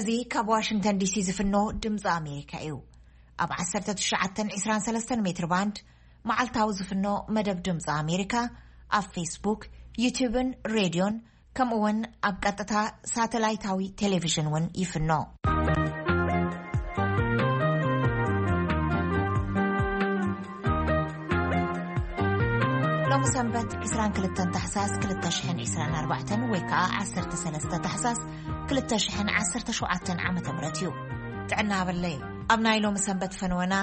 እዚ ካብ ዋሽንግተን ዲሲ ዝፍኖ ድምፂ ኣሜሪካ እዩ። ኣብ ዓሰርተ ትሽዓተ ዒስራን ሰለስተን ሜትር ባንድ መዓልታዊ ዝፍኖ መደብ ድምፂ ኣሜሪካ ኣብ ፌስቡክ፣ ዩቲዩብን ሬድዮን፣ ከምኡ እውን ኣብ ቀጥታ ሳተላይታዊ ቴሌቪዥን እውን ይፍኖ። ሎሚ ሰንበት ዒስራን ክልተን ታሕሳስ ክልተ ሽሕን ዒስራን ኣርባዕተን ወይ ከዓ ዓሰርተ ሰለስተ ታሕሳስ ክልተ ሽሕን ዓሰርተ ሸውዓተን ዓመተ ምህረት እዩ። ጥዕና በለይ። ኣብ ናይ ሎሚ ሰንበት ፈንወና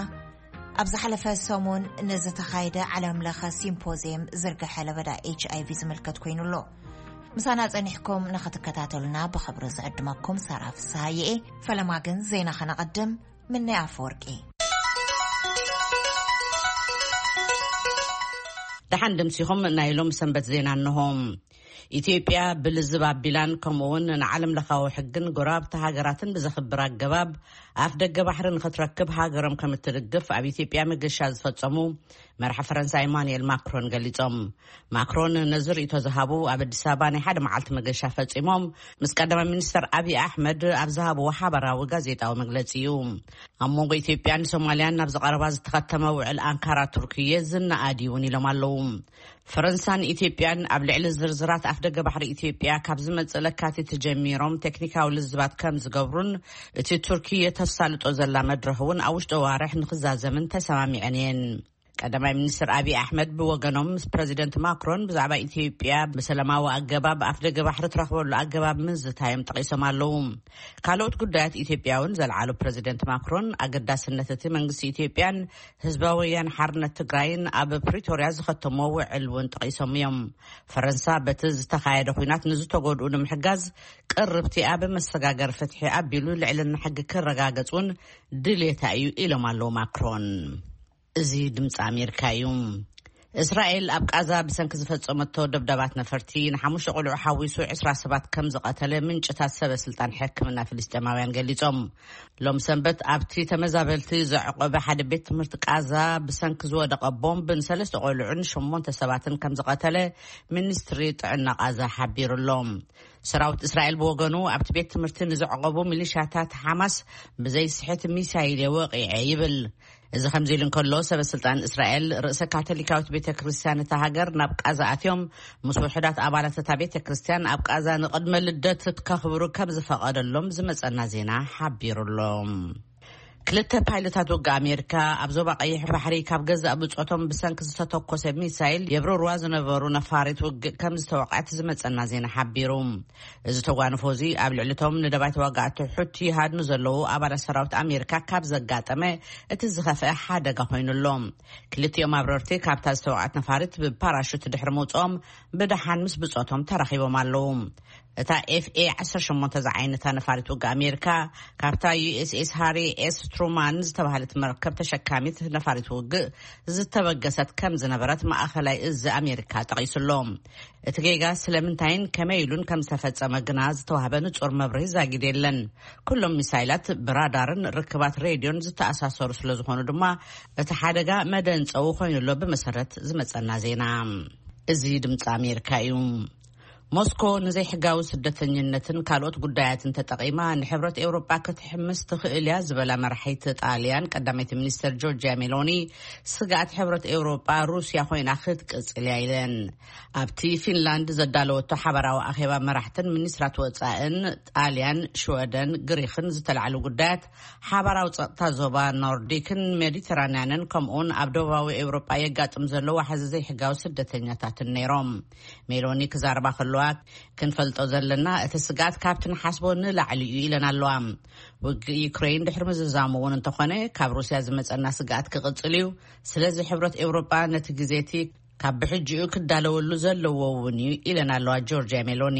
ኣብ ዝሓለፈ ሰሙን ንዝተኻየደ ዓለም ለኸ ሲምፖዚየም ዝርግሐ ለበዳ ኤች ኣይ ቪ ዝምልከት ኮይኑ ኣሎ። ምሳና ጸኒሕኩም ንኽትከታተሉና ብኽብሪ ዝዕድመኩም ሳራ ፍስሃየ እየ። ፈለማ ግን ዜና ኸነቐድም። ምነይ ኣፈወርቂ። ደሓን ድምሲኹም። ናይ ሎም ሰንበት ዜና እንሆ። ኢትዮጵያ ብልዝብ ኣቢላን ከምኡውን ንዓለም ለኻዊ ሕግን ጎረባብቲ ሃገራትን ብዘኽብር ኣገባብ ኣፍ ደገ ባሕሪ ንኽትረክብ ሃገሮም ከም እትድግፍ ኣብ ኢትዮጵያ መገሻ ዝፈጸሙ መራሒ ፈረንሳ ኢማኑኤል ማክሮን ገሊጾም። ማክሮን ነዚ ርእይቶ ዝሃቡ ኣብ ኣዲስ ኣበባ ናይ ሓደ መዓልቲ መገሻ ፈጺሞም ምስ ቀዳማይ ሚኒስተር ኣብይ ኣሕመድ ኣብ ዝሃብዎ ሓባራዊ ጋዜጣዊ መግለጺ እዩ። ኣብ መንጎ ኢትዮጵያን ሶማልያን ናብ ዝቐረባ ዝተኸተመ ውዕል ኣንካራ ቱርክየ ዝነኣድ እውን ኢሎም ኣለዉ። ፈረንሳን ኢትዮጵያን ኣብ ልዕሊ ዝርዝራት ኣፍ ደገ ባሕሪ ኢትዮጵያ ካብ ዝመጽእ ለካቲት ጀሚሮም ቴክኒካዊ ልዝባት ከም ዝገብሩን እቲ ቱርኪ የተሳልጦ ዘላ መድረኽ እውን ኣብ ውሽጢ ዋርሕ ንኽዛዘምን ተሰማሚዐን እየን። ቀዳማይ ሚኒስትር ኣብይ ኣሕመድ ብወገኖም ምስ ፕረዚደንት ማክሮን ብዛዕባ ኢትዮጵያ ብሰላማዊ ኣገባብ ኣፍ ደገ ባሕሪ ትረኽበሉ ኣገባብ ምዝታዮም ጠቒሶም ኣለዉ። ካልኦት ጉዳያት ኢትዮጵያ እውን ዘልዓሉ ፕረዚደንት ማክሮን ኣገዳስነት እቲ መንግስቲ ኢትዮጵያን ህዝባዊ ወያነ ሓርነት ትግራይን ኣብ ፕሪቶርያ ዝኸተሞ ውዕል እውን ጠቒሶም እዮም። ፈረንሳ በቲ ዝተኻየደ ኲናት ንዝተጎድኡ ንምሕጋዝ ቅርብቲ ኣብ መሰጋገር ፍትሒ ኣቢሉ ልዕልና ሕጊ ክረጋገጽ እውን ድሌታ እዩ ኢሎም ኣለዉ ማክሮን። እዚ ድምፂ ኣሜሪካ እዩ። እስራኤል ኣብ ቃዛ ብሰንኪ ዝፈጸመቶ ደብዳባት ነፈርቲ ንሓሙሽተ ቆልዑ ሓዊሱ ዕስራ ሰባት ከም ዝቐተለ ምንጭታት ሰበ ስልጣን ሕክምና ፍልስጤማውያን ገሊጾም። ሎም ሰንበት ኣብቲ ተመዛበልቲ ዘዕቆበ ሓደ ቤት ትምህርቲ ቃዛ ብሰንኪ ዝወደቐ ቦምብ ንሰለስተ ቆልዑን ሸሞንተ ሰባትን ከም ዝቐተለ ሚኒስትሪ ጥዕና ቃዛ ሓቢሩ ኣሎ። ሰራዊት እስራኤል ብወገኑ ኣብቲ ቤት ትምህርቲ ንዘዕቆቡ ሚሊሻታት ሓማስ ብዘይስሕት ሚሳይል የወቂዐ ይብል። እዚ ከምዚ ኢሉ እንከሎ ሰበ ስልጣን እስራኤል ርእሰ ካቶሊካዊት ቤተ ክርስቲያን እታ ሃገር ናብ ቃዛ ኣትዮም ምስ ውሑዳት ኣባላት እታ ቤተ ክርስቲያን ኣብ ቃዛ ንቕድመ ልደት ከኽብሩ ከም ዝፈቐደሎም ዝመጸና ዜና ሓቢሩ ኣሎ። ክልተ ፓይለታት ውግእ ኣሜሪካ ኣብ ዞባ ቀይሕ ባሕሪ ካብ ገዛእ ብጾቶም ብሰንኪ ዝተተኮሰ ሚሳይል የብረርዋ ዝነበሩ ነፋሪት ውግእ ከም ዝተወቕዐት ዝመጸና ዜና ሓቢሩ። እዚ ተጓንፎ እዚ ኣብ ልዕሊቶም ንደባይ ተዋጋእቲ ሑቲ ይሃድኑ ዘለዉ ኣባላት ሰራዊት ኣሜሪካ ካብ ዘጋጠመ እቲ ዝኸፍአ ሓደጋ ኮይኑ ኣሎ። ክልቲኦም ኣብረርቲ ካብታ ዝተወቕዐት ነፋሪት ብፓራሹት ድሕሪ ምውፅኦም ብደሓን ምስ ብጾቶም ተራኺቦም ኣለዉ። እታ ኤፍ ኤ ዓሰርተ ሸሞንተ ዝዓይነታ ነፋሪት ውግእ ኣሜሪካ ካብታ ዩ ኤስ ኤስ ሃሪ ኤስ ትሩማን ዝተባህለት መርከብ ተሸካሚት ነፋሪት ውግእ ዝተበገሰት ከም ዝነበረት ማእኸላይ እዚ ኣሜሪካ ጠቒሱ ኣሎ። እቲ ጌጋ ስለምንታይን ከመይ ኢሉን ከም ዝተፈጸመ ግና ዝተዋህበ ንጹር መብርሂ ዛጊድ የለን። ኩሎም ሚሳይላት ብራዳርን ርክባት ሬድዮን ዝተኣሳሰሩ ስለ ዝኾኑ ድማ እቲ ሓደጋ መደንጸዊ ኮይኑ ኣሎ ብመሰረት ዝመጸና ዜና። እዚ ድምፂ ኣሜሪካ እዩ። ሞስኮ ንዘይሕጋዊ ስደተኝነትን ካልኦት ጉዳያትን ተጠቒማ ንሕብረት ኤውሮጳ ክትሕምስ ትኽእል እያ ዝበላ መራሒት ጣልያን ቀዳመይቲ ሚኒስትር ጆርጂያ ሜሎኒ ስግኣት ሕብረት ኤውሮጳ ሩስያ ኮይና ክትቅጽል እያ ኢለን። ኣብቲ ፊንላንድ ዘዳለወቶ ሓበራዊ ኣኼባ መራሕትን ሚኒስትራት ወጻእን ጣልያን፣ ሽወደን፣ ግሪኽን ዝተላዕሉ ጉዳያት ሓባራዊ ጸጥታ ዞባ ኖርዲክን ሜዲተራንያንን ከምኡውን ኣብ ደቡባዊ ኤውሮጳ የጋጥም ዘሎ ዋሕዚ ዘይሕጋዊ ስደተኛታትን ነይሮም። ሜሎኒ ክዛረባ ከለዋ ክንፈልጦ ዘለና እቲ ስግኣት ካብቲ ንሓስቦ ንላዕሊ እዩ ኢለን ኣለዋ። ውግእ ዩክሬን ድሕሪ ምዝዛሙ እውን እንተኾነ ካብ ሩስያ ዝመጸና ስግኣት ክቕጽል እዩ። ስለዚ ሕብረት ኤውሮጳ ነቲ ግዜ እቲ ካብ ብሕጂኡ ክዳለወሉ ዘለዎ እውን እዩ ኢለን ኣለዋ ጆርጂያ ሜሎኒ።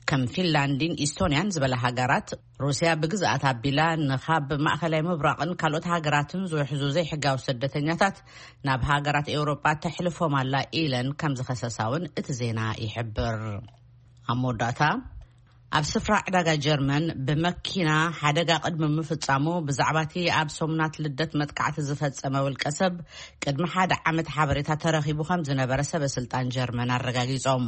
ከም ፊንላንድን ኢስቶንያን ዝበላ ሃገራት ሩስያ ብግዝኣት ኣቢላ ንኻብ ማእኸላይ ምብራቕን ካልኦት ሃገራትን ዝውሕዙ ዘይሕጋዊ ስደተኛታት ናብ ሃገራት ኤውሮጳ ተሕልፎም ኣላ ኢለን ከም ዝኸሰሳ እውን እቲ ዜና ይሕብር። ኣብ መወዳእታ ኣብ ስፍራ ዕዳጋ ጀርመን ብመኪና ሓደጋ ቅድሚ ምፍጻሙ፣ ብዛዕባቲ ኣብ ሰሙናት ልደት መጥቃዕቲ ዝፈጸመ ውልቀ ሰብ ቅድሚ ሓደ ዓመት ሓበሬታ ተረኺቡ ከም ዝነበረ ሰበ ስልጣን ጀርመን ኣረጋጊጾም።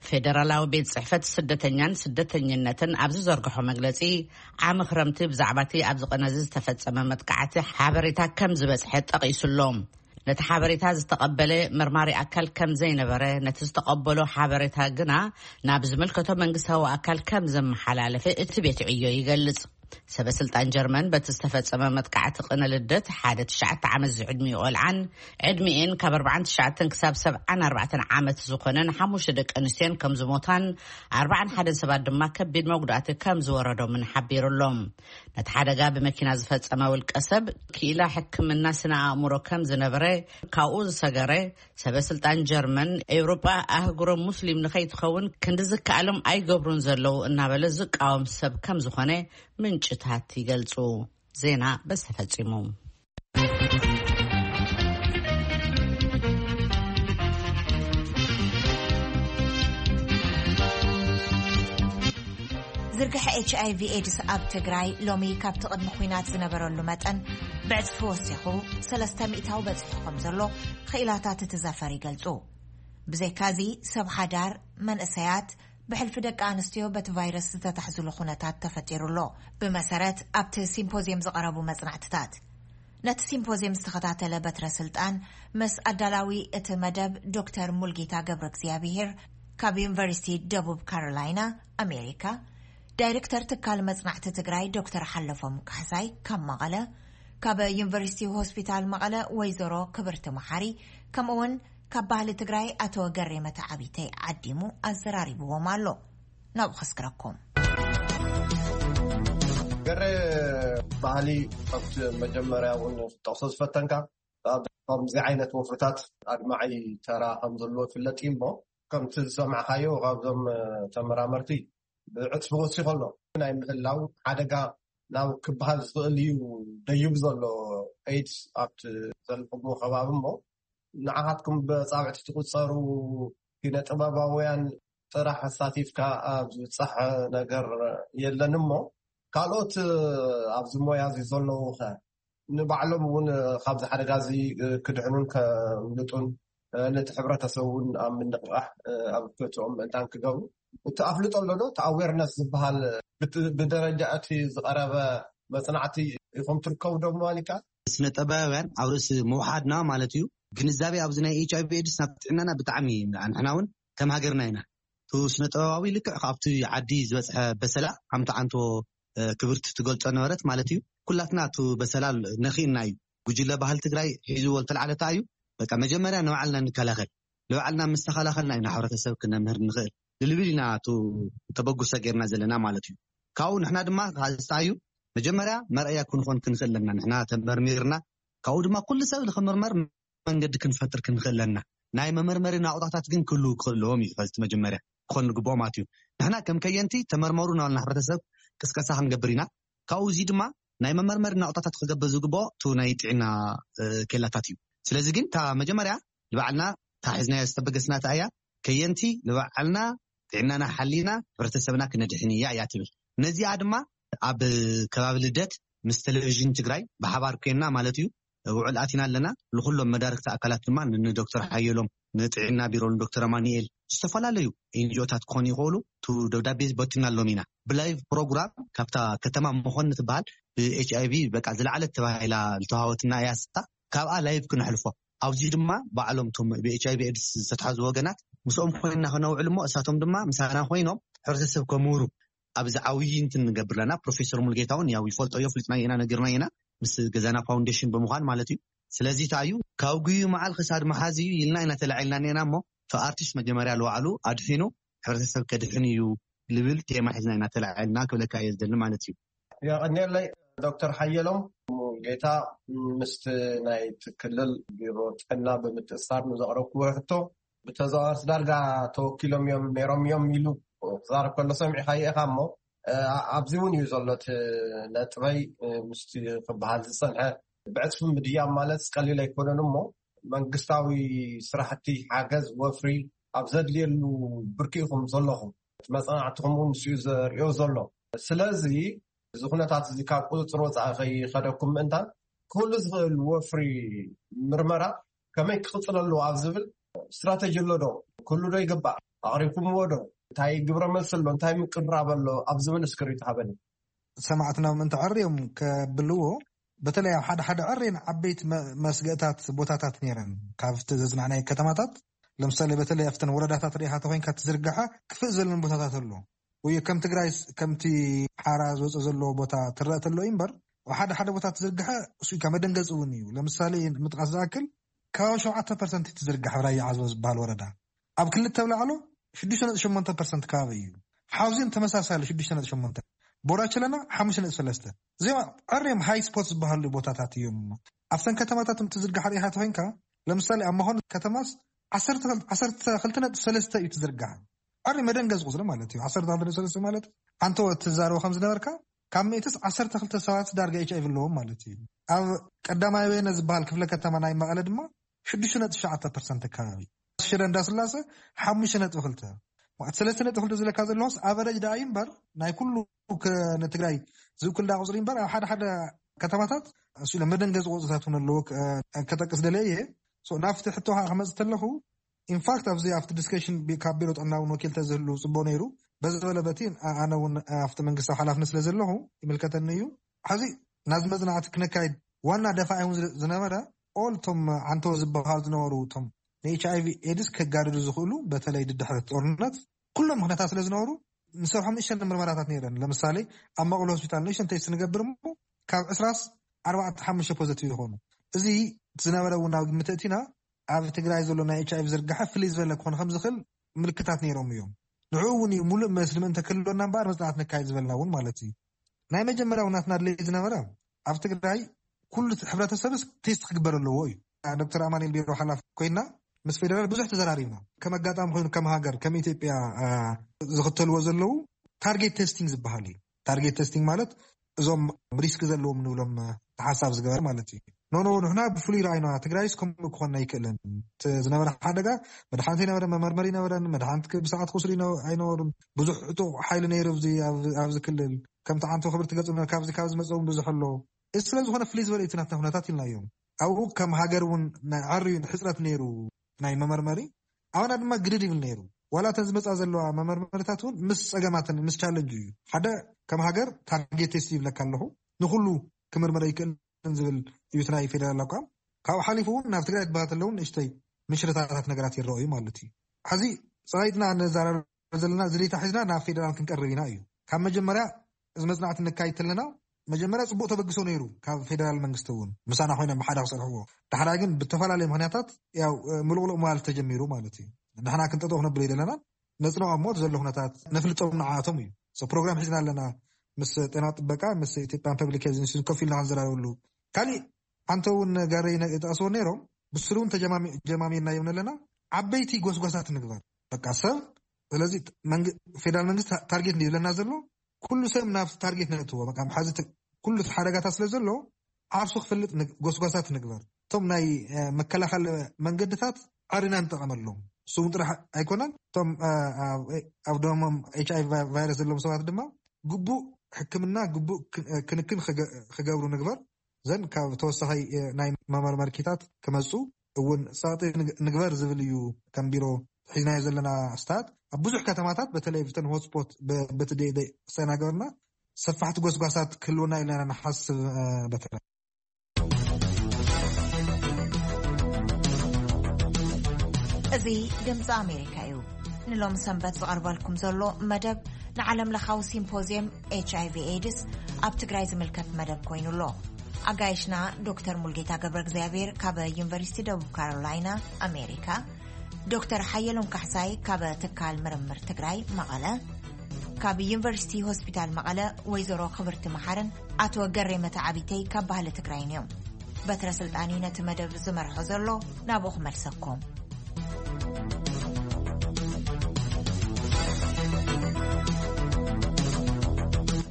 ፌደራላዊ ቤት ጽሕፈት ስደተኛን ስደተኝነትን ኣብ ዝዘርግሖ መግለጺ፣ ዓሚ ክረምቲ ብዛዕባቲ ኣብዚ ቀነዚ ዝተፈጸመ መጥቃዕቲ ሓበሬታ ከም ዝበጽሐ ጠቒሱሎም። ነቲ ሓበሬታ ዝተቐበለ መርማሪ ኣካል ከም ዘይነበረ፣ ነቲ ዝተቐበሎ ሓበሬታ ግና ናብ ዝምልከቶ መንግስታዊ ኣካል ከም ዘመሓላለፈ እቲ ቤት ዕዮ ይገልጽ። ሰበ ስልጣን ጀርመን በቲ ዝተፈጸመ መጥቃዕቲ ቅነ ልደት ሓደ ትሽዓተ ዓመት ዝዕድሚኡ ቆልዓን ዕድሚኤን ካብ ኣርባዓን ትሽዓተን ክሳብ ሰብዓን ኣርባዕተን ዓመት ዝኾነን ሓሙሽተ ደቂ ኣንስትዮን ከም ዝሞታን ኣርባዓን ሓደን ሰባት ድማ ከቢድ መጉዳእቲ ከም ዝወረዶምን ሓቢሩሎም። ነቲ ሓደጋ ብመኪና ዝፈጸመ ውልቀ ሰብ ክኢላ ሕክምና ስነ ኣእምሮ ከም ዝነበረ ካብኡ ዝሰገረ ሰበ ስልጣን ጀርመን፣ ኤውሮጳ ኣህጉሮም ሙስሊም ንኸይትኸውን ክንዲ ዝከኣሎም ኣይገብሩን ዘለዉ እናበለ ዝቃወም ሰብ ከም ዝኾነ ምንጭታት ይገልጹ። ዜና በዚ ተፈጺሙ። ዝርግሐ ኤች ኣይ ቪ ኤድስ ኣብ ትግራይ ሎሚ ካብቲ ቅድሚ ኲናት ዝነበረሉ መጠን ብዕጽፊ ወሲኹ ሰለስተ ሚእታዊ በጺሑ ከም ዘሎ ክኢላታት እቲ ዘፈር ይገልጹ። ብዘይካዚ ሰብ ሓዳር፣ መንእሰያት፣ ብሕልፊ ደቂ ኣንስትዮ በቲ ቫይረስ ዝተታሕዝሉ ኩነታት ተፈጢሩ ኣሎ። ብመሰረት ኣብቲ ሲምፖዝየም ዝቐረቡ መጽናዕትታት፣ ነቲ ሲምፖዝየም ዝተኸታተለ በትረ ስልጣን ምስ ኣዳላዊ እቲ መደብ ዶክተር ሙልጌታ ገብረ እግዚኣብሄር ካብ ዩኒቨርሲቲ ደቡብ ካሮላይና ኣሜሪካ፣ ዳይሬክተር ትካል መጽናዕቲ ትግራይ ዶክተር ሓለፎም ካሕሳይ ካብ መቐለ፣ ካብ ዩኒቨርሲቲ ሆስፒታል መቐለ ወይዘሮ ክብርቲ መሓሪ፣ ከምኡውን ካብ ባህሊ ትግራይ ኣቶ ገሬ መተዓቢተይ ዓዲሙ ኣዘራሪብዎም ኣሎ። ናብኡ ከስግረኩም። ገሬ፣ ባህሊ ካብቲ መጀመርያ እውን ክትጠቕሶ ዝፈተንካ፣ ኣብ ከምዚ ዓይነት ወፍርታት ኣድማዒ ተራ ከም ዘለዎ ይፍለጥ እዩ እሞ፣ ከምቲ ዝሰማዕካዮ ካብዞም ተመራመርቲ ብዕጽፊ ወሲኹ ኣሎ። ናይ ምህላው ሓደጋ ናብ ክበሃል ዝኽእል እዩ ደይቡ ዘሎ ኤድስ ኣብቲ ዘለኹምዎ ከባቢ እሞ፣ ንዓኻትኩም ብኣጻብዕቲ ትቑጸሩ ኪነ ጥበባውያን ጥራሕ ኣሳቲፍካ ኣብ ዝብጻሕ ነገር የለን እሞ፣ ካልኦት ኣብዚ ሞያ እዚ ዘለዉ ኸ ንባዕሎም እውን ካብዚ ሓደጋ እዚ ክድሕኑን ከምልጡን ነቲ ሕብረተሰብ እውን ኣብ ምንቕቓሕ ኣብ ክእትኦም ምእንታን ክገብሩ እቲ ኣፍልጦ ኣሎ ዶ? እቲ ኣዌርነስ ዝበሃል ብት-፣ ብደረጃ እቲ ዝቐረበ መጽናዕቲ ኢኹም ትርከቡ ዶ ምባል ይከኣል? ስነ ጥበባውያን ኣብ ርእሲ ምውሓድና ማለት እዩ። ግንዛቤ ኣብዚ ናይ ኤች ኣይ ቪ ኤድስ ናብ ጥዕናና ብጣዕሚ ንሕና እውን ከም ሃገርና ኢና። እቲ ስነ ጥበባዊ ልክዕ ካብቲ ዓዲ ዝበጽሐ በሰላ ከምቲ ዓንቶ፣ እ፣ ክብርቲ ትገልጾ ነበረት ማለት እዩ። ኩላትና እቲ በሰላ ነኺእና እዩ። ጉጅለ ባህሊ ትግራይ ሒዝዎ ዝተልዓለታ እዩ። በቃ መጀመርያ ንባዕልና ንከላኸል። ንባዕልና ምስ ተኸላኸልና ኢና ሕብረተሰብ ክነምህር ንኽእል። ልልብል ኢና እቲ ተበግሶ ጌርና ዘለና ማለት እዩ። ካብኡ ንሕና ድማ ካልስታ እዩ መጀመርያ መርኣያ ክንኾን ክንኽእል ኣለና። ንሕና ተመርሚርና ካብኡ ድማ ኩሉ ሰብ ንኽምርመር መንገዲ ክንፈጥር ክንኽእል ኣለና። ናይ መመርመሪ ናቑጣታት ግን ክህልዉ ክኽእል ኣለዎም እዩ። ከዚ መጀመርያ ክኾን ዝግብኦ ማለት እዩ። ንሕና ከም ከየንቲ ተመርመሩ እናበልና ሕብረተሰብ ቅስቀሳ ክንገብር ኢና። ካብኡ እዚ ድማ ናይ መመርመሪ ናቑጣታት ክገብር ዝግብኦ እቲ ናይ ጥዕና፣ እ፣ ኬላታት እዩ። ስለዚ ግን እታ መጀመርያ ንባዕልና እታ ሒዝናያ ዝተበገስና እታ እያ። ከየንቲ ንባዕልና ጥዕናና ሓሊና ሕብረተሰብና ክነድሕን እያ እያ ትብል። ነዚኣ ድማ ኣብ ከባቢ ልደት ምስ ቴሌቪዥን ትግራይ ብሓባር ኮይንና ማለት እዩ ውዕል ኣቲና ኣለና። ንኩሎም መዳርግቲ ኣካላት ድማ ን-፣ ንዶክተር ሓየሎም፣ ንጥዕና ቢሮ፣ ንዶክተር ኣማኑኤል፣ ዝተፈላለዩ ኤንጂኦታት ክኾኑ ይኽእሉ። እቲ ደብዳቤ በቲናሎም ኢና። ብላይቭ ፕሮግራም ካብታ ከተማ መኾኒ ትበሃል ብኤች ኣይ ቪ በቃ ዝለዓለት ተባሂላ ዝተዋሃበትና እያ። ስታ ካብኣ ላይቭ ክነሕልፎ፣ ኣብዚ ድማ ባዕሎም እቶም ብኤች ኣይ ቪ ኤድስ ዝተትሓዙ ወገናት ምስኦም ኮይንና ከነውዕል እሞ እሳቶም ድማ ምሳና ኮይኖም ሕብረተሰብ ከምህሩ ኣብዚ ዓብዪ እንትን ንገብር ኣለና። ፕሮፌሰር ሙልጌታ እውን ያው ይፈልጦ እዮ፣ ፍሊጥና ኢና፣ ነጊርና ኢና ምስ ገዛና ፋውንዴሽን ብምዃን ማለት እዩ። ስለዚ እንታይ እዩ ካብ ጉዩ መዓል ክሳድ መሓዝ እዩ ኢልና ኢና ተላዒልና እኒአና እሞ፣ እቲ ኣርቲስት መጀመርያ ልባዕሉ ኣድሒኑ ሕብረተሰብ ከድሕን እዩ ልብል ቴማ ሒዝና ኢና ተላዒልና ክብለካ እየ ዝደሊ ማለት እዩ። የቐንየለይ ዶክተር ሓየሎም ሙሉጌታ፣ ምስቲ ናይቲ ክልል ቢሮ ጥዕና ብምትእስሳር ንዘቕረብክዎ ሕቶ፣ ብተዘዋዋርቲ ዳርጋ ተወኪሎም እዮም ነይሮም እዮም ኢሉ ክዛረብ ከሎ ሰሚዕካዮ ኢኻ እሞ፣ እ፣ ኣብዚ እውን እዩ ዘሎ እቲ ነጥበይ፣ እ፣ ምስቲ ክበሃል ዝጸንሐ። ብዕጽፊ ምድያብ ማለት ቀሊል ኣይኮነን እሞ፣ መንግስታዊ ስራሕቲ ሓገዝ ወፍሪ ኣብ ዘድልየሉ ብርኪ ኢኹም ዘለኹም። መጽናዕትኹም እውን ንሱ እዩ ዘርእዮ ዘሎ። ስለዚ እዚ ኩነታት እዚ ካብ ቁፅፅር ወፃኢ ከይኸደኩም ምእንታን ክህሉ ዝኽእል ወፍሪ ምርመራ ከመይ ክቕፅል ኣለዎ ኣብ ዝብል ስትራተጂ ኣሎ ዶ? ክህሉ ዶ ይግባእ? ኣቕሪብኩምዎ ዶ? እንታይ ግብረ መልሲ ኣሎ? እንታይ ምቅራብ ኣሎ? ኣብ ዝብል እስክሪብቶ ሃበኒ። ሰማዕትና ምእንቲ ዕርዮም ከብልዎ፣ በተለይ ኣብ ሓደ ሓደ ዕሬን ዓበይቲ መ- መስገእታት ቦታታት ነይረን። ካብቲ ዘጽናዕናይ ከተማታት ለምሳሌ በተለይ ኣብተን ወረዳታት ርኢኻ ተኮይንካ ትዝርግሐ ክፍእ ዘለን ቦታታት ኣሎ። ወይ ከም ትግራይ ከምቲ ሓራ ዝወፀ ዘለዎ ቦታ ትረአ ተሎ እዩ እምበር፣ ሓደ ሓደ ቦታ ትዝርግሐ እሱ ኢካ መደንገፂ እውን እዩ። ለምሳሌ ምጥቃስ ዝኣክል ከባቢ ሸውዓተ ፐርሰንት ትዝርግሐ ራያ ዓዘቦ ዝበሃል ወረዳ ኣብ ክልተ ብላዕሎ ሽዱሽተ ነጥቢ ሸሞንተ ፐርሰንት ከባቢ እዩ። ሓውዜን ተመሳሳሊ ሽዱሽተ ነጥቢ ሸሞንተ፣ ቦራቸለና ሓሙሽተ ነጥቢ ሰለስተ። እዚኦም ዕርዮም ሃይ ስፖት ዝበሃሉ ቦታታት እዮም። ኣብተን ከተማታት እንትዝርጋሕ ርኢኻ ተኮይንካ ለምሳሌ ኣብ መኾን ከተማስ ዓሰርተ ክልተ ነጥቢ ሰለስተ እዩ ትዝርጋሕ። ዕሪ መደንገዝ ቁፅሪ ማለት እዩ። ዓሰርተ ክልተ ነጥቢ ሰለስተ ማለት ኣንተ ትዛረቦ ከም ዝነበርካ ካብ ሚእትስ ዓሰርተ ክልተ ሰባት ዳርጋ ኤች ኣይቪ ኣለዎም ማለት እዩ። ኣብ ቀዳማይ ወየነ ዝበሃል ክፍለ ከተማ ናይ መቐለ ድማ ሽዱሽተ ነጥቢ ትሽዓተ ፐርሰንት ከባቢ፣ ሽረ እንዳስላሰ ሓሙሽተ ነጥቢ ክልተ። ማለት ሰለስተ ነጥቢ ክልተ ዝለካ ዘለዎስ ኣቨረጅ ደኣ እዩ እምበር ናይ ኩሉ ከ- ንትግራይ ዝውክል ዳ ቁፅሪ እምበር ኣብ ሓደ ሓደ ከተማታት እሱ ኢለ መደንገፂ ቁፅርታት እውን ኣለዎ። ከ- ከጠቅስ ደለየ እየ። So ናብቲ ሕቶ ከዓ ክመፅእ ተለኹ ኢንፋክት ኣብዚ ኣብቲ ዲስከሽን ካብ ቢሮ ጥዕና እውን ወኪል ተዝህሉ ፅቡቅ ነይሩ። በዚ በለ በቲ ኣነ እውን ኣብቲ መንግስታዊ ሓላፍነት ስለ ዘለኹ ይምልከተኒ እዩ። ሕዚ ናዚ መፅናዕቲ ክነካይድ ዋና ደፋኢ እውን ዝነበረ ኦል እቶም ዓንተው ዝበሃሉ ዝነበሩ እቶም ንኤች ኣይቪ ኤድስ ከጋድዱ ዝኽእሉ በተለይ ድድሕሪ ጦርነት ኩሎም ምክንያታት ስለ ዝነበሩ ንሰርሖም ንእሽተን ምርመራታት ነይረን። ለምሳሌ ኣብ መቐለ ሆስፒታል ንእሽተን ቴስት ንገብር እሞ ካብ ዕስራስ ኣርባዕተ ሓሙሽተ ፖዘቲቭ ይኾኑ። እዚ ዝነበረ እውን ናብ ግምት እቲና ኣብ ትግራይ ዘሎ ናይ ኤች ኣይቪ ዝርጋሐ ፍልይ ዝበለ ክኾን ከም ዝኽእል ምልክታት ነይሮም እዮም። ንዕኡ እውን እዩ ሙሉእ መስሊ ምእንተ ክህልወና እምበኣር መፅናዕት ነካይድ ዝበልና እውን ማለት እዩ። ናይ መጀመርያ እውን ናትና ድሌት ዝነበረ ኣብ ትግራይ ኩሉ ሕብረተሰብስ ቴስት ክግበር ኣለዎ እዩ። ዶክተር ኣማኑኤል ቢሮ ሓላፍ ኮይና ምስ ፌደራል ብዙሕ ተዘራሪብና። ከም ኣጋጣሚ ኮይኑ ከም ሃገር ከም ኢትዮጵያ ዝኽተልዎ ዘለዉ ታርጌት ቴስቲንግ ዝበሃል እዩ። ታርጌት ቴስቲንግ ማለት እዞም ሪስክ ዘለዎም ንብሎም ተሓሳብ ዝገበር ማለት እዩ። ኖኖ ንሕና ብፍሉይ ረኣይና ትግራይስ ከምኡ ክኾን ኣይክእልን። ዝነበረ ሓደጋ መድሓኒት ኣይነበረን፣ መመርመሪ ኣይነበረን፣ መድሓኒት ብሰዓት ክወስዱ ኣይነበሩን። ብዙሕ ዕጡቕ ሓይሊ ነይሩ ኣብዚ ክልል ከምቲ ዓንቶ ክብርቲ ገፅ ካብዚ ካብ ዝመፀ እውን ብዙሕ ኣሎ። እዚ ስለ ዝኾነ ፍልይ ዝበለ እቲ ናትና ኩነታት ኢልና እዮም። ኣብኡ ከም ሃገር እውን ናይ ዓርዩ ሕፅረት ነይሩ ናይ መመርመሪ። ኣባና ድማ ግድድ ይብል ነይሩ። ዋላ እተን ዝመፃ ዘለዋ መመርመሪታት እውን ምስ ፀገማትን ምስ ቻለንጅ እዩ። ሓደ ከም ሃገር ታርጌት ቴስት ይብለካ ኣለኹ ንኩሉ ክምርምረ ይክእል ዝብል እዩ እቲ ናይ ፌደራል ኣቋም። ካብኡ ሓሊፉ እውን ናብ ትግራይ ትባሃት ኣለውን ንእሽተይ ምሽርታታት ነገራት ይረኣዩ ማለት እዩ። ሕዚ ፀላይትና ነዛራር ዘለና ዝሌታ ሒዝና ናብ ፌደራል ክንቀርብ ኢና እዩ። ካብ መጀመርያ እዚ መፅናዕቲ ነካይድ ተለና መጀመርያ ፅቡቅ ተበግሶ ነይሩ ካብ ፌደራል መንግስቲ እውን ምሳና ኮይኖም ብሓደ ክሰርሕዎ። ዳሕራይ ግን ብተፈላለዩ ምክንያታት ያው ምሉቕሉቕ ምባል ተጀሚሩ ማለት እዩ። ንሕና ክንጠጠው ክነብሎ ይደለና ነፅንዖ እሞ ዘሎ ኩነታት ነፍልጦም ንዓቶም እዩ። ፕሮግራም ሒዝና ኣለና ምስ ጤና ጥበቃ ምስ ኢትዮጵያን ፐብሊክ ሄልዝ ኢንስቲትዩት ኮፍ ኢልና ክንዘራረበሉ። ካሊእ ሓንተ እውን ጋረይ ጠቅስዎ ነይሮም ብስሩ እውን ጀማሚርና ይብን ኣለና። ዓበይቲ ጎስጓሳት ንግበር በቃ ሰብ ስለዚ ፌደራል መንግስቲ ታርጌት ዝብለና ዘሎ ኩሉ ሰብ ናብ ታርጌት ነእትዎ በቃ ሓዚ ኩሉ ሓደጋታት ስለ ዘሎ ዓርሱ ክፈልጥ ጎስጓሳት ንግበር። እቶም ናይ መከላኸል መንገድታት ዓሪና ንጠቐመሎም። እሱ እውን ጥራሕ ኣይኮነን እቶም ኣብ ደሞም ኤች ኣይቪ ቫይረስ ዘለዎም ሰባት ድማ ግቡእ ሕክምና ግቡእ ክንክን ክገብሩ ንግበር። ዘን ካብ ተወሳኺ ናይ መመርመርኪታት ክመፁ እውን ፀቕጢ ንግበር ዝብል እዩ። ከም ቢሮ ሒዝናዮ ዘለና ስታት ኣብ ብዙሕ ከተማታት በተለይ ብተን ሆትስፖት በቲ ደይደይ ሰና ገበርና ሰፋሕቲ ጎስጓሳት ክህልውና ኢለና ንሓስብ። በተለይ እዚ ድምፂ ኣሜሪካ እዩ። ንሎም ሰንበት ዝቐርበልኩም ዘሎ መደብ ንዓለም ለኻዊ ሲምፖዝየም ኤች ኣይቪ ኤድስ ኣብ ትግራይ ዝምልከት መደብ ኮይኑ ኣሎ። ኣጋይሽና ዶክተር ሙልጌታ ገብረ እግዚኣብሔር ካብ ዩኒቨርሲቲ ደቡብ ካሮላይና ኣሜሪካ፣ ዶክተር ሓየሎም ካሕሳይ ካብ ትካል ምርምር ትግራይ መቐለ፣ ካብ ዩኒቨርሲቲ ሆስፒታል መቐለ ወይዘሮ ክብርቲ መሓርን ኣቶ ገሬ መተዓቢተይ ካብ ባህሊ ትግራይን እዮም። በትረ ስልጣን እዩ ነቲ መደብ ዝመርሖ ዘሎ። ናብኡ ክመልሰኩም።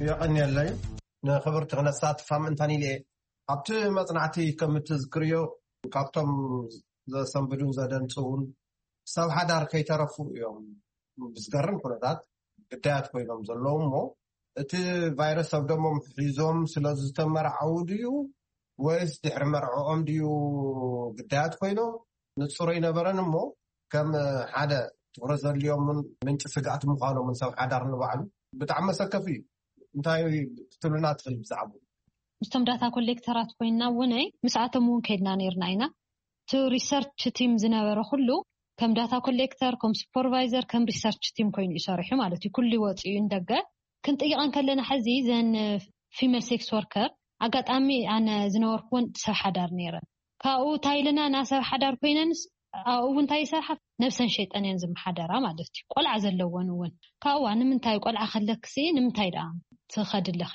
የቐንየለይ ንክብርቲ ክነሳትፋ ምእንታን ኢለ ኣብቲ መፅናዕቲ ከም እትዝክርዮ ካብቶም ዘሰንብዱን ዘደንፅውን ሰብ ሓዳር ከይተረፉ እዮም። ብዝገርም ኩነታት ግዳያት ኮይኖም ዘለዉ እሞ፣ እቲ ቫይረስ ኣብ ደሞም ሒዞም ስለ ዝተመርዓዉ ድዩ ወይስ ድሕሪ መርዕኦም ድዩ ግዳያት ኮይኖም? ንጹር ኣይነበረን እሞ፣ ከም ሓደ ትኹረት ዘድልዮምን ምንጪ ስግኣት ምዃኖምን ሰብ ሓዳር ንባዕሉ ብጣዕሚ መሰከፊ እዩ። እንታይ ክትብሉና ትኽእል ብዛዕባኡ? ምስቶም ዳታ ኮሌክተራት ኮይንና እውን ምስኣቶም እውን ከይድና ነይርና ኢና። እቲ ሪሰርች ቲም ዝነበረ ኩሉ ከም ዳታ ኮሌክተር፣ ከም ሱፐርቫይዘር፣ ከም ሪሰርች ቲም ኮይኑ እዩ ሰሪሑ ማለት እዩ። ኩሉ ወፂኡ ንደገ። ክንጥይቐን ከለና ሕዚ ዘን ፊሜል ሴክስ ወርከር፣ ኣጋጣሚ ኣነ ዝነበርኩ እውን ሰብ ሓዳር ነይረን። ካብኡ እንታይ ኢለና፣ ና ሰብ ሓዳር ኮይነንስ ኣብኡ እውን እንታይ ይሰርሓ፣ ነብሰን ሸይጠን እየን ዝመሓደራ ማለት እዩ። ቆልዓ ዘለወን እውን ካብኡ፣ ንምንታይ ቆልዓ ከለክሲ ንምንታይ ደኣ ትኸዲ ኣለኺ?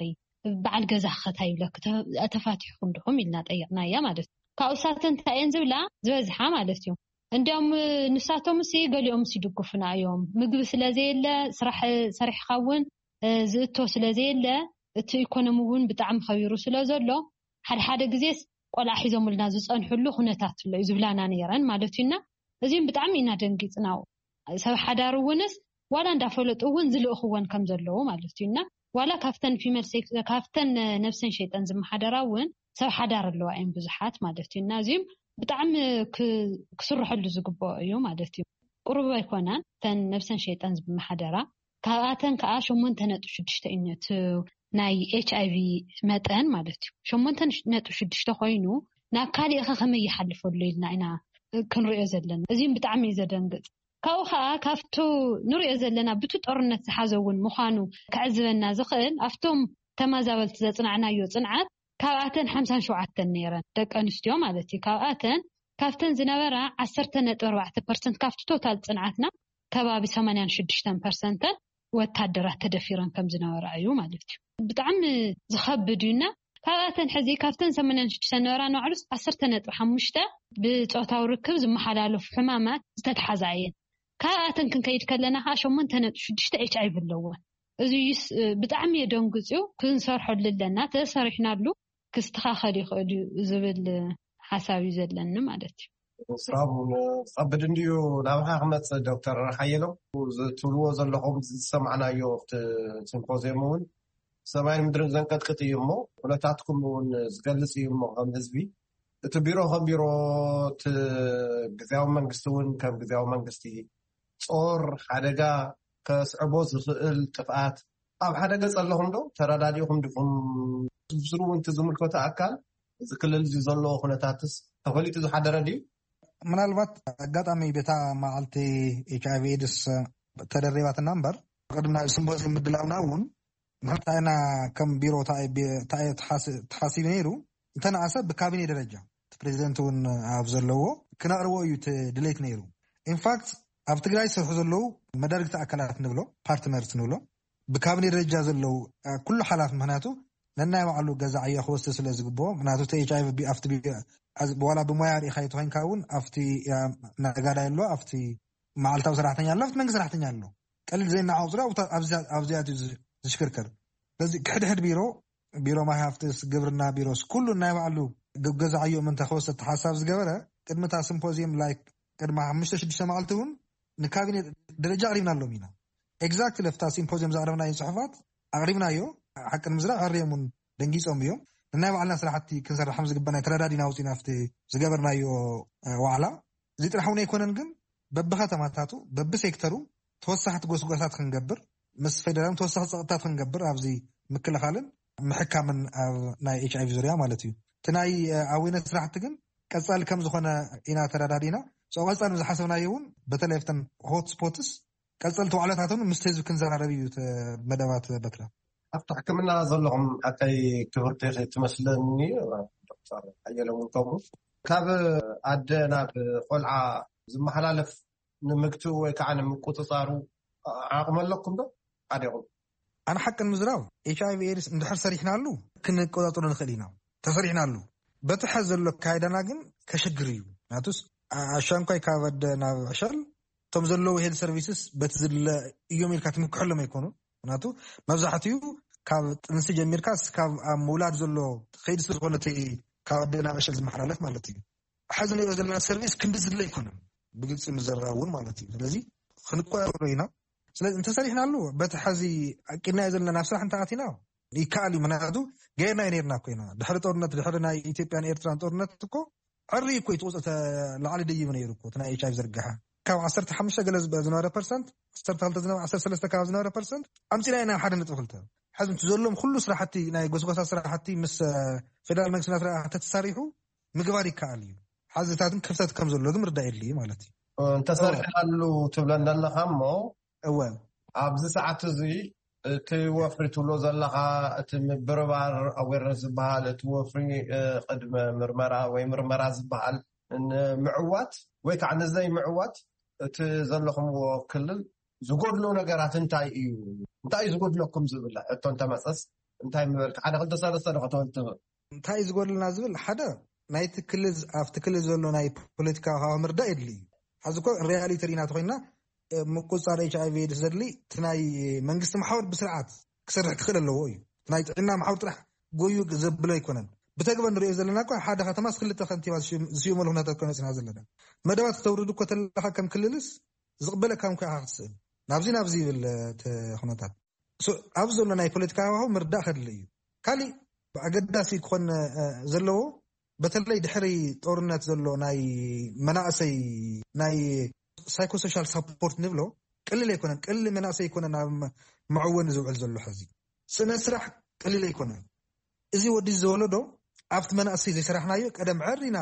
በዓል ገዛ ከታይ ይብለኪ፣ ተ- ተፋቲሕኩም ድኹም ኢልና ጠይቕናያ ማለት እዩ። ካብኡ ሳተን እንታይ እየን ዝብላ ዝበዝሓ ማለት እዩ። እንዲያውም ንሳቶም ሲ ገሊኦም ሲ ይድግፉና እዮም። ምግቢ ስለ ዘየለ፣ ስራሕ ሰሪሕካ እውን ዝእቶ ስለ ዘየለ፣ እቲ ኢኮኖሚ እውን ብጣዕሚ ከቢሩ ስለ ዘሎ፣ ሓደ ሓደ ግዜስ ቆልዓ ሒዞምልና ዝጸንሕሉ ኩነታት ኣሎ እዩ ዝብላና ነይረን ማለት እዩና። እዚም ብጣዕሚ ኢና ደንጊጽና። ሰብ ሓዳር እውንስ ዋላ እንዳፈለጡ እውን ዝልእኽወን ከም ዘለዉ ማለት እዩና። ዋላ ካብተን ፊመል ሴክስ፣ ካብተን ነብሰን ሸይጠን ዝመሓደራ እውን ሰብ ሓዳር ኣለዋ እየን ብዙሓት ማለት እዩና። እዚም ብጣዕሚ ክ- ክስርሐሉ ዝግብኦ እዩ ማለት እዩ። ቁሩብ ኣይኮናን እተን ነብሰን ሸይጠን ዝመሓደራ። ካብኣተን ከዓ ሸሞንተ ነጥቢ ሽዱሽተ እዩ እቲ ናይ ኤች ኣይ ቪ መጠን ማለት እዩ። ሸሞንተ ነጥቢ ሽዱሽተ ኮይኑ ናብ ካሊእ ከ ከመይ ይሓልፈሉ ኢልና ኢና ክንሪኦ ዘለና። እዚም ብጣዕሚ እዩ ዘደንግጥ። ካብኡ ከዓ ካብቱ ንሪኦ ዘለና ብቱ ጦርነት ዝሓዘ እውን ምዃኑ ከዕዝበና ዝኽእል ኣብቶም ተመዛበልቲ ዘፅናዕናዮ ፅንዓት ካብኣተን ሓምሳን ሸውዓተን ነይረን ደቂ ኣንስትዮ ማለት እዩ። ካብኣተን ካብተን ዝነበራ ዓሰርተ ነጥቢ ኣርባዕተ ፐርሰንት ካብቲ ቶታል ፅንዓትና ከባቢ ሰማንያን ሽዱሽተን ፐርሰንተን ወታደራት ተደፊረን ከም ዝነበራ እዩ ማለት እዩ። ብጣዕሚ ዝኸብድ እዩና። ካብኣተን ሕዚ ካብተን ሰማንያን ሽዱሽተ ነበራ ንባዕሉስ ዓሰርተ ነጥቢ ሓሙሽተ ብፆታዊ ርክብ ዝመሓላለፉ ሕማማት ዝተተሓዛ እየን። ካብኣተን ክንከይድ ከለና ከዓ ሸሞንተ ነጥቢ ሽዱሽተ ኤች ኣይ ቪ ኣለወን። እዚዩስ ብጣዕሚ የደንግፅ እዩ። ክንሰርሐሉ ኣለና። ተሰሪሕናሉ ክስተኻኸል ይኽእል እዩ ዝብል ሓሳብ እዩ ዘለኒ ማለት እዩ። ስራቡ ዝኸብድ እንድዩ። ናብኻ ክመፅእ ዶክተር ሓየሎም፣ ዝትብልዎ ዘለኹም ዝሰማዕናዮ ኣብቲ ሲምፖዚየም እውን ሰማይን ምድርን ዘንቀጥቅጥ እዩ እሞ ኩነታትኩም እውን ዝገልፅ እዩ እሞ ከም ህዝቢ እቲ ቢሮ ከም ቢሮ እቲ ግዝያዊ መንግስቲ እውን ከም ግዝያዊ መንግስቲ ጾር ሓደጋ ከስዕቦ ዝኽእል ጥፍኣት ኣብ ሓደ ገጽ ኣለኹም ዶ? ተረዳዲእኹም ዲኹም? ዝርዝሩ እውን እቲ ዝምልከቶ ኣካል እዚ ክልል እዚ ዘለዎ ኩነታትስ ተፈሊጡ ዝሓደረ ድዩ? ምናልባት ኣጋጣሚ በታ መዓልቲ ኤች ኣይ ቪ ኤድስ ተደሪባትና እምበር ቅድሚ ናብ ስምፖዚየም ምድላውና እውን ንሕና ኢና ከም ቢሮ እንታይ ተሓሲቡ ነይሩ እንተነኣሰ ብካቢኔ ደረጃ እቲ ፕሬዚደንት እውን ኣብ ዘለዎ ክነቕርቦ እዩ እቲ ድሌት ነይሩ። ኢንፋክት ኣብ ትግራይ ዝሰርሑ ዘለዉ መዳርግቲ ኣካላት ንብሎ ፓርትነርስ ንብሎ ብካቢኔ ደረጃ ዘለዉ ኩሉ ሓላፍ ምክንያቱ ነናይ ባዕሉ ገዛ ዕዮ ክወስድ ስለ ዝግብኦ ምክንያቱ እቲ ኤች ኣይ ቪ ኣብቲ ዋላ ብሞያ ርኢኻ ተኮይንካ እውን ኣብቲ ነጋዳይ ኣሎ ኣብቲ መዓልታዊ ሰራሕተኛ ኣሎ ኣብቲ መንግስቲ ሰራሕተኛ ኣሎ ቀሊል ዘይናዓቕ ዙሪያ ኣብዚኣት እዩ ዝሽክርከር። ስለዚ ክሕድሕድ ቢሮ ቢሮ ማይ ሃፍትስ ግብርና ቢሮስ ኩሉ ናይ ባዕሉ ገዛ ዕዮ ምንተ ክወስድ ሓሳብ ዝገበረ ቅድሚ እታ ሲምፖዚየም ላይክ ቅድሚ ሓሙሽተ ሽዱሽተ መዓልቲ እውን ንካቢኔ ደረጃ ኣቕሪብናሎም ኢና። ኤግዛክትሊ ኣብታ ሲምፖዚየም ዘቕረብናዮ ፅሑፋት ኣቕሪብናዮ። ሓቂ ንምዝራብ ኣርዮም እውን ደንጊፆም እዮም። ንናይ ባዕልና ስራሕቲ ክንሰርሕ ከም ዝግበና ተረዳዲና ውፅኢና ኣብቲ ዝገበርናዮ ዋዕላ። እዚ ጥራሕ እውን ኣይኮነን ግን በብከተማታቱ በብሴክተሩ ተወሳኽቲ ጎስጓሳት ክንገብር ምስ ፌደራልን ተወሳኺ ፀቕጥታት ክንገብር ኣብዚ ምክልኻልን ምሕካምን ኣብ ናይ ኤች ኣይቪ ዙርያ ማለት እዩ። እቲ ናይ ኣዌነት ስራሕቲ ግን ቀፃሊ ከም ዝኾነ ኢና ተረዳዲና። ሶ ቀፃሊ ዝሓሰብናዮ እውን በተለይ ኣብተን ሆት ስፖትስ ቀፀልቲ ዋዕላታትን ምስ ህዝቢ ክንዘራረብ እዩ መደባት በትረ ኣብቲ ሕክምና ዘለኹም ሓቀይ ክብርቲ ትመስለኒ። ዶክተር ሓየሎም ከምኡ ካብ ኣደ ናብ ቆልዓ ዝመሓላለፍ ንምግትኡ ወይ ከዓ ንምቁፅፃሩ ዓቕሚ ኣለኩም ዶ? ኣዴኹም ኣነ ሓቂ ንምዝራብ ኤች ኣይቪ ኤድስ እንድሕር ሰሪሕናሉ ክንቆፃፀሮ ንኽእል ኢና። ተሰሪሕናሉ በቲ ሐዚ ዘሎ ኣካይዳና ግን ከሸግር እዩ። ናቱስ ኣሻንኳይ ካብ ኣደ ናብ ዕሸል እቶም ዘለዉ ሄልት ሰርቪስስ በቲ ዝድለ እዮም ኢልካ ትምክሐሎም ኣይኮኑን። ምክንያቱ መብዛሕትኡ ካብ ጥንሲ ጀሚርካ እስካብ ኣብ ምውላድ ዘሎ ከይዲ ስለዝኮነ እቲ ካብ ኣደ ናብ ዕሸል ዝመሓላለፍ ማለት እዩ። ሕዚ ንሪኦ ዘለና ሰርቪስ ክንዲ ዝድለ ኣይኮነን ብግልፂ ምዘራብ እውን ማለት እዩ። ስለዚ ክንቆያቆሮ ኢና። ስለዚ እንተሰሪሕናሉ፣ በቲ ሐዚ ኣቂድናዮ ዘለና ናብ ስራሕ እንተኣቲና ይከኣል እዩ። ምክንያቱ ገይርናዮ ነይርና እኮ ኢና። ድሕሪ ጦርነት፣ ድሕሪ ናይ ኢትዮጵያን ኤርትራን ጦርነት እኮ ዕሪ እኮ እዩ ትቁፅተ ላዕሊ ደይቡ ነይሩ እኮ እቲ ናይ ኤች ኣይቪ ዝርግሐ። ካብ ዓሰርተ ሓሙሽተ ገለ ዝበ- ዝነበረ ፐርሰንት፣ ዓሰርተ ክልተ ዝነበረ፣ ዓሰርተ ሰለስተ ካብ ዝነበረ ፐርሰንት ኣምፂና ኢና ሓደ ነጥቢ ክልተ። ሕዚ እቲ ዘሎም ኩሉ ስራሕቲ፣ ናይ ጎስጎሳ ስራሕቲ ምስ ፌደራል መንግስቲ ናትና ተተሳሪሑ ምግባር ይከኣል እዩ። ሓዝታትን ክፍተት ከም ዘሎ ግን ምርዳእ የድልዩ ማለት እዩ። እንተሰርሕናሉ ትብለና ኣለኻ እሞ እወ ኣብዚ ሰዓት እዚ እቲ ወፍሪ ትብሎ ዘለኻ፣ እቲ ምብርባር፣ ኣዌርነስ ዝበሃል፣ እቲ ወፍሪ ቅድመ ምርመራ ወይ ምርመራ ዝበሃል ንምዕዋት ወይ ከዓ ንዘይ ምዕዋት እቲ ዘለኹምዎ ክልል ዝጎድሎ ነገራት እንታይ እዩ? እንታይ እዩ ዝጎድለኩም ዝብል ሕቶ እንተመፀስ እንታይ ምበልካ? ሓደ ክልተ ሰለስተ ዶ ከተወል ትኽእል? እንታይ እዩ ዝጎድልና ዝብል ሓደ ናይቲ ክልል፣ ኣብቲ ክልል ዘሎ ናይ ፖለቲካ ሃዋ ምርዳእ የድሊ እዩ። ሓዚ እኮ ሪያሊቲ ርኢና ተኮይና ምቁፃር ኤች ኣይቪ ኤድስ ዘድሊ እቲ ናይ መንግስቲ መሓውር ብስርዓት ክሰርሕ ክኽእል ኣለዎ እዩ። ናይ ጥዕና መሓውር ጥራሕ ጎዩ ዘብሎ ኣይኮነን። ብተግባር ንሪኦ ዘለና እኮ ሓደ ከተማ ክልተ ከንቲባ ዝሽመሉ ኩነታት እኮ ነፅና ዘለና። መደባት ክተውርድ እኮ ተለካ ከም ክልልስ ዝቕበለካ እንኳ ኢኻ ክትስእል። ናብዚ ናብዚ ይብል እቲ ኩነታት። ኣብዚ ዘሎ ናይ ፖለቲካ ሃዋሁ ምርዳእ ከድሊ እዩ። ካሊእ ኣገዳሲ ክኾን ዘለዎ፣ በተለይ ድሕሪ ጦርነት ዘሎ ናይ መናእሰይ ናይ ሳይኮሶሻል ሳፖርት ንብሎ ቅልል ኣይኮነን። ቅልል መናእሰይ ኣይኮነን ኣብ መዕወኒ ዝውዕል ዘሎ። ሕዚ ስነ ስራሕ ቅልል ኣይኮነን። እዚ ወዲ ዝወለዶ ኣብቲ መናእሰይ ዘይሰራሕናዮ ቀደም ዕሪና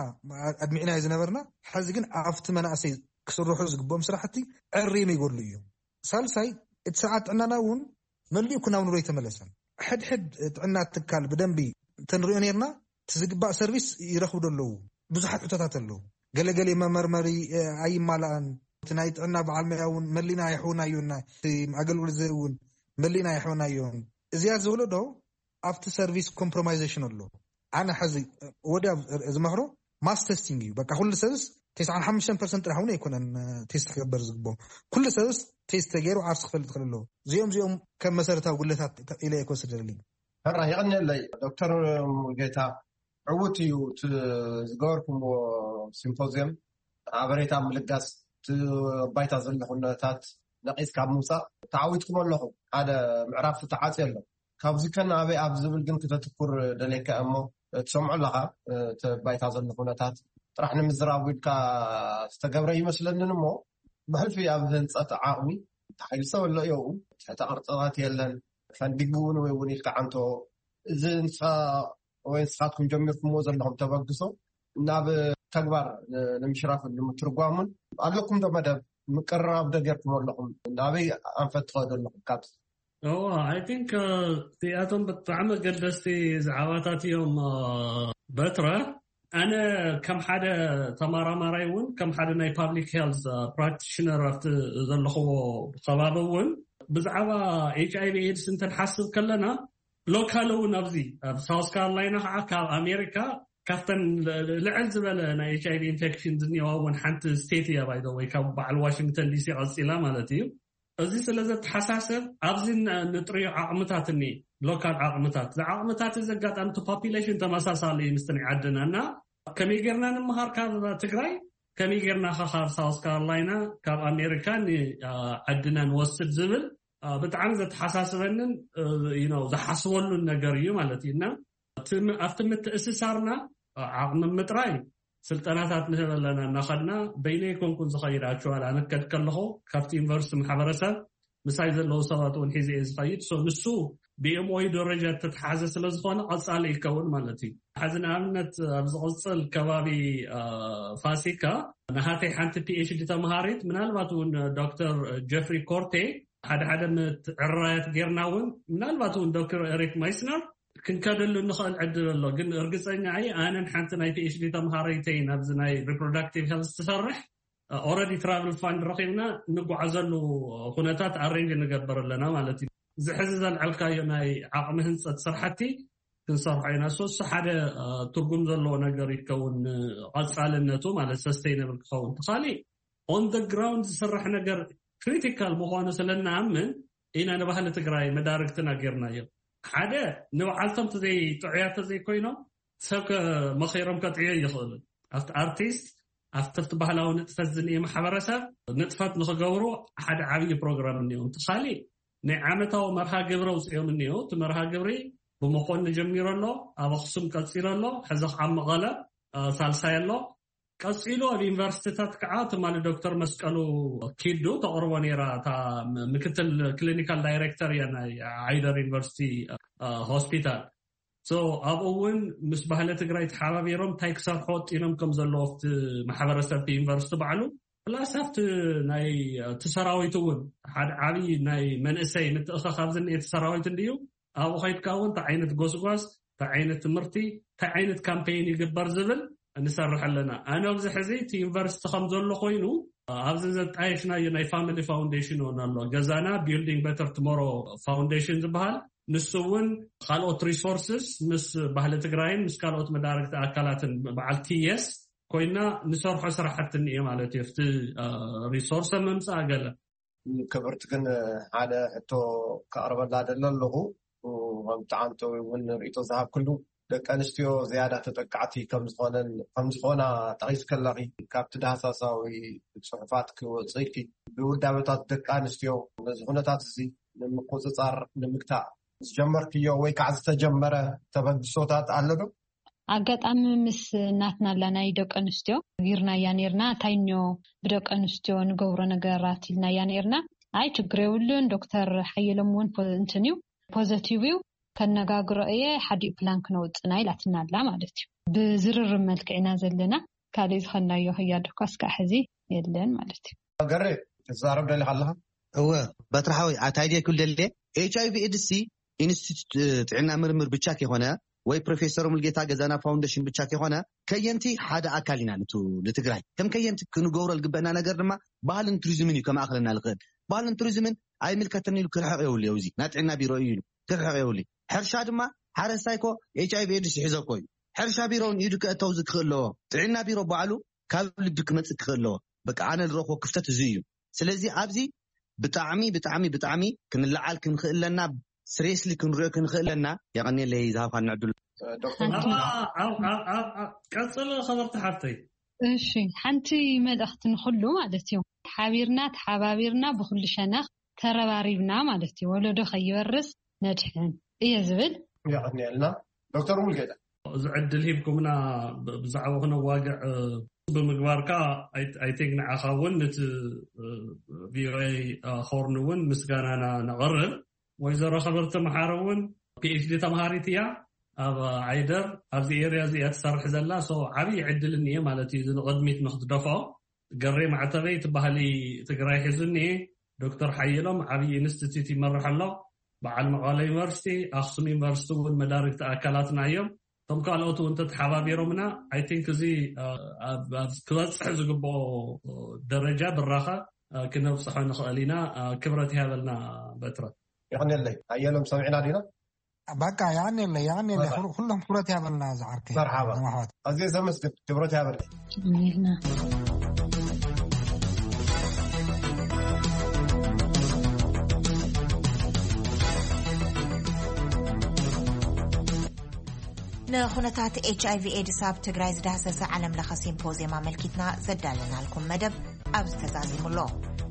ኣድሚዕናዮ ዝነበርና፣ ሕዚ ግን ኣብቲ መናእሰይ ክስርሑ ዝግብኦም ስራሕቲ ዕሪኑ ይጎድሉ እዩ። ሳልሳይ እቲ ስርዓት ጥዕናና እውን መሊኡ ክናው ንሮ ኣይተመለሰን። ሕድሕድ ጥዕና ትካል ብደንቢ እንተንሪኦ ነርና እቲ ዝግባእ ሰርቪስ ይረኽቡ ዶ ኣለዉ? ብዙሓት ሕቶታት ኣለዉ። ገለገለ መመርመሪ ኣይማላእን። እቲ ናይ ጥዕና በዓል መያ እውን መሊና ኣይሕውናዮና። ኣገልግሎት ዘ እውን መሊና ኣይሕውናዮን። እዚኣ ዝብሎ ዶ ኣብቲ ሰርቪስ ኮምፕሮማይዜሽን ኣሎ። ኣነ ሕዚ ወዲ ዝመክሮ ማስ ተስቲንግ እዩ። በቃ ኩሉ ሰብስ ተስዓን ሓሙሽተን ፐርሰንት ጥራሕ እውን ኣይኮነን ቴስት ክገበር ዝግብኦ። ኩሉ ሰብስ ቴስት ተገይሩ ዓርሲ ክፈልጥ ክእል ኣለዎ። እዚኦም እዚኦም ከም መሰረታዊ ጉለታት ኢለ እኮ ስደለኒ። ሕራ የቐንየለይ ዶክተር ሙሉጌታ። ዕዉት እዩ እቲ ዝገበርኩምዎ ሲምፖዚየም። ሓበሬታ ምልጋስ፣ እቲ ባይታ ዘሎ ኩነታት ነቒስ ካብ ምውፃእ ተዓዊትኩም ኣለኹም። ሓደ ምዕራፍ ተዓፅዮ ኣሎ። ካብዚ ከ ናበይ ኣብ ዝብል ግን ክተትኩር ደልየካ እሞ ትሰምዖ ኣለኻ። እቲ ባይታ ዘሎ ኩነታት ጥራሕ ንምዝራብ ኢልካ ዝተገብረ ይመስለንን እሞ ብሕልፊ ኣብ ህንፀት ዓቕሚ ተሓይልሰ ኣሎ እዮኡ ትሕተ ቅርፅታት የለን። ፈንዲግ እውን ወይ እውን ኢልካ ዓንቶ እዚ ንስኻ ወይ ንስኻትኩም ጀሚርኩምዎ ዘለኹም ተበግሶ ናብ ተግባር ንምሽራፍን ንምትርጓሙን ኣለኩም ዶ መደብ ምቅርራብ ዶ ጌርኩም ኣለኹም? ናበይ ኣንፈት ትኸዱ ኣለኹም? ካብ እዎ ኣይ ቲንክ እዚኣቶም ብጣዕሚ ኣገደስቲ ዛዕባታት እዮም። በትረ ኣነ ከም ሓደ ተማራማራይ እውን ከም ሓደ ናይ ፓብሊክ ሄልት ፕራክቲሽነር ኣብቲ ዘለኽዎ ከባቢ እውን ብዛዕባ ኤች ኣይቪ ኤድስ እንተንሓስብ ከለና ሎካል እውን ኣብዚ ኣብ ሳውስ ካሮላይና ከዓ ካብ ኣሜሪካ ካብተን ልዕል ዝበለ ናይ ኤች ኣይቪ ኢንፌክሽን ዝኒዋ እውን ሓንቲ ስቴት እያ ባይዶ ወይ ካብ በዓል ዋሽንግተን ዲሲ ቀፂላ ማለት እዩ። እዚ ስለ ዘተሓሳሰብ ኣብዚ ንጥርዮ ዓቕምታት እኒ ሎካል ዓቕምታት ዝዓቕምታት እዚ ኣጋጣሚ እቲ ፖፒሌሽን ተመሳሳሊ እዩ ምስቲ ናይ ዓድና እና ከመይ ጌርና ንምሃር ካብ ትግራይ ከመይ ጌርና ካብ ሳውስ ካሮላይና ካብ ኣሜሪካ ንዓድና ንወስድ ዝብል ብጣዕሚ ዘተሓሳስበንን ዝሓስበሉን ነገር እዩ ማለት እዩ እና ኣብቲ ምትእስሳርና ዓቕሚ ምጥራይ ስልጠናታት ንህብ ኣለና እናኸድና በይነ ይኮንኩን ዝኸይድ ኣክቹዋል ኣነከድ ከለኹ ካብቲ ዩኒቨርሲቲ ማሕበረሰብ ምሳይ ዘለዉ ሰባት እውን ሒዘ እየ ዝኸይድ ሶ ንሱ ብኤምኦዩ ደረጃ እተተሓዘ ስለ ዝኾነ ቀፃሊ ይከውን ማለት እዩ። ሕዚ ንኣብነት ኣብ ዝቕፅል ከባቢ ፋሲካ ንሃተይ ሓንቲ ፒኤችዲ ተምሃሪት ምናልባት እውን ዶክተር ጀፍሪ ኮርቴ ሓደ ሓደ ምትዕራያት ጌርና እውን ምናልባት እውን ዶክተር ኤሪክ ማይስነር ክንከደሉ ንኽእል ዕድል ኣሎ ግን እርግፀኛ እየ ኣነን ሓንቲ ናይ ፒኤችዲ ተምሃረይተይ ናብዚ ናይ ሪፕሮዳክቲቭ ሄልስ ትሰርሕ ኦረዲ ትራቭል ፋንድ ረኺብና እንጓዓዘሉ ኩነታት ኣሬንጅ ንገብር ኣለና ማለት እዩ። ዝሕዚ ዘልዐልካዮ ናይ ዓቕሚ ህንፀት ስራሕቲ ክንሰርሖ ኢና ሶ እሱ ሓደ ትርጉም ዘለዎ ነገር ይከውን። ቀፃልነቱ ማለት ሰስተይነብል ክኸውን ትኻሊ ኦን ደ ግራውንድ ዝስራሕ ነገር ክሪቲካል ምዃኑ ስለ እንኣምን ኢና ንባህሊ ትግራይ መዳርግትና ጌርናዮ። ሓደ ንባዕልቶም ዘይጥዑያት ተዘይኮይኖም ሰብ መኺሮም ከጥዕዮ ይኽእሉ ኣብቲ ኣርቲስት ኣብቲ ኣብቲ ባህላዊ ንጥፈት ዝንኤ ማሕበረሰብ ንጥፈት ንኽገብሩ ሓደ ዓብዪ ፕሮግራም እኒኦ። እቲ ካሊእ ናይ ዓመታዊ መርሃ ግብሪ ኣውፅኦም እኒኦ። እቲ መርሃ ግብሪ ብመኾኒ ጀሚሩ ኣሎ፣ ኣብ ኣኽሱም ቀፂሉ ኣሎ፣ ሕዚ ከዓ መቐለ ሳልሳይ ኣሎ። ቀፂሉ ኣብ ዩኒቨርሲቲታት ከዓ ትማሊ ዶክተር መስቀሉ ኪዱ ተቕርቦ ነይራ፣ እታ ምክትል ክሊኒካል ዳይሬክተር እያ ናይ ዓይደር ዩኒቨርሲቲ ሆስፒታል። ኣብኡ እውን ምስ ባህሊ ትግራይ ተሓባቢሮም እንታይ ክሰርሑ ወጢኖም ከም ዘለዎ ኣብቲ ማሕበረሰብ እቲ ዩኒቨርሲቲ ባዕሉ ፕላስ ኣብቲ ናይ እቲ ሰራዊት እውን ሓደ ዓብዪ ናይ መንእሰይ ምትእኸኻብ ዝኒኤ እቲ ሰራዊት እንድዩ። ኣብኡ ከይድካ እውን እንታይ ዓይነት ጎስጓስ፣ እንታይ ዓይነት ትምህርቲ፣ እንታይ ዓይነት ካምፔይን ይግበር ዝብል ንሰርሕ ኣለና። ኣነ ኣብዚ ሕዚ እቲ ዩኒቨርሲቲ ከም ዘሎ ኮይኑ ኣብዚ ዘጣየሽናዮ ናይ ፋሚሊ ፋውንዴሽን እውን ኣሎ። ገዛና ቢልዲንግ በተር ትሞሮ ፋውንዴሽን ዝበሃል፣ ንሱ እውን ካልኦት ሪሶርስስ ምስ ባህሊ ትግራይን ምስ ካልኦት መዳርግቲ ኣካላትን በዓል ቲየስ ኮይና ንሰርሖ ስራሕቲ እኒኤ ማለት እዩ። ኣብቲ ሪሶርስ ምምፃእ ገለ ክብርቲ ግን ሓደ ሕቶ ከቕርበላ ደለ ኣለኹ። ከም ጠዓምተዊ እውን ርእቶ ዝሃብክሉ፣ ደቂ ኣንስትዮ ዝያዳ ተጠቃዕቲ ከምዝኾነን ከምዝኾና ጠቒስከለኺ፣ ካብቲ ዳህሳሳዊ ፅሑፋት ክወፅእኪ፣ ብውዳበታት ደቂ ኣንስትዮ ነዚ ኩነታት እዚ ንምቁፅፃር ንምግታእ ዝጀመርክዮ ወይ ከዓ ዝተጀመረ ተበግሶታት ኣሎ ዶ? ኣጋጣሚ ምስ ናትና ኣላ ናይ ደቂ ኣንስትዮ ጊርናያ ነርና። እንታይ እኒኦ ብደቂ ኣንስትዮ ንገብሮ ነገራት ኢልናያ ነርና። ኣይ ችግር የብሉን፣ ዶክተር ሓየሎም እውን እንትን እዩ፣ ፖዘቲቭ እዩ፣ ከነጋግሮ እየ፣ ሓዲኡ ፕላን ክነውፅና ኢላትና ኣላ ማለት እዩ። ብዝርርብ መልክዕ ኢና ዘለና። ካልእ ዝኸናዮ ህያድ እኳ እስካዕ ሕዚ የለን ማለት እዩ። ገሬ ትዛረብ ደሊኻ ኣለኻ? እወ፣ በትሪ ሓወይ፣ ኣታ ኣይደ ክብል ደልየ፣ ኤች ኣይ ቪ ኤድስ ሲ ኢንስቲትዩት ጥዕና ምርምር ብቻ ከይኮነ ወይ ፕሮፌሰር ሙልጌታ ገዛና ፋውንዴሽን ብቻ ከይኮነ፣ ከየንቲ ሓደ ኣካል ኢና ንትግራይ ከም ከየንቲ ክንገብሮ ዝግበአና ነገር ድማ ባህልን ቱሪዝምን እዩ ከማእክለና ዝኽእል። ባህልን ቱሪዝምን ኣይምልከተኒ ኢሉ ክርሕቕ የብሉ። እዚ ናይ ጥዕና ቢሮ እዩ ኢሉ ክርሕቕ የብሉ። ሕርሻ ድማ ሓረስታይ ኮ ኤች ኣይ ቪ ኤድስ ይሕዘኮ እዩ። ሕርሻ ቢሮ እውን ኢዱ ክእተው ዝክእል ኣለዎ። ጥዕና ቢሮ ባዕሉ ካብ ልቢ ክመፅእ ክኽእል ኣለዎ። በቃ ኣነ ዝረኽቦ ክፍተት እዚ እዩ። ስለዚ ኣብዚ ብጣዕሚ ብጣዕሚ ብጣዕሚ ክንለዓል ክንኽእለና ስሬስሊ ክንሪኦ ክንኽእለና። የቐኒለይ ዝሃብካኒ ዕድል። ዶክተር ቀፅል ክብርቲ ሓፍተይ። እሺ፣ ሓንቲ መልእኽቲ ንኹሉ ማለት እዩ። ሓቢርና ተሓባቢርና ብኩሉ ሸነኽ ተረባሪብና ማለት እዩ። ወለዶ ከይወርስ ነድሕን እየ ዝብል። የቐኒልና ዶክተር ሙልጌታ። እዚ ዕድል ሂብኩምና ብዛዕባ ክነዋግዕ ብምግባርካ፣ ኣይቲንክ ንዓኻ እውን ነቲ ቪኦኤ ሆርን እውን ምስጋናና ነቕርብ። ወይዘሮ ክብርቲ መሓሪ እውን ፒኤችዲ ተምሃሪት እያ ኣብ ዓይደር፣ ኣብዚ ኤርያ እዚ እያ ትሰርሕ ዘላ። ዓብዪ ዕድል እኒኤ ማለት እዩ፣ እዚ ንቕድሚት ንክትደፍኦ። ገሬ ማዕተበይ እቲ ባህሊ ትግራይ ሒዙ እኒኤ። ዶክተር ሓየሎም ዓብዪ ኢንስቲትዩት ይመርሕ ኣሎ። በዓል መቐለ ዩኒቨርሲቲ፣ ኣክሱም ዩኒቨርሲቲ እውን መዳርግቲ ኣካላትና እዮም። እቶም ካልኦት እውን ተተሓባቢሮምና፣ ኣይቲንክ እዚ ክበፅሕ ዝግብኦ ደረጃ ብራኸ ክነብፅሖ ንኽእል ኢና። ክብረት ይሃበልና በትረ። ይቐንየለይ። ሓየሎም ሰሚዕና ዲና? በቃ ያኔለ ያኔለ ኩሎም ክብረት ያበልና ዝዓርከ። መርሓባ። ኣዝየ ዘመስግን። ክብረት ያበለይ። ንኹነታት ኤች ኣይ ቪ ኤድስ ኣብ ትግራይ ዝዳህሰሰ ዓለም ለኸ ሲምፖዝየም ኣመልኪትና ዘዳለናልኩም መደብ ኣብዚ ተዛዚሙ ኣሎ።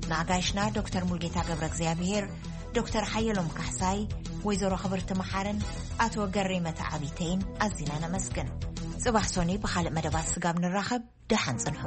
ንኣጋይሽና ዶክተር ሙልጌታ ገብረ እግዚኣብሔር፣ ዶክተር ሓየሎም ካሕሳይ፣ ወይዘሮ ክብርቲ መሓርን ኣቶ ገሬ መተዓቢተይን ኣዚና ነመስግን። ጽባሕ ሶኒ ብኻልእ መደባት ስጋብ ንራኸብ ደሓን ጽንሑ።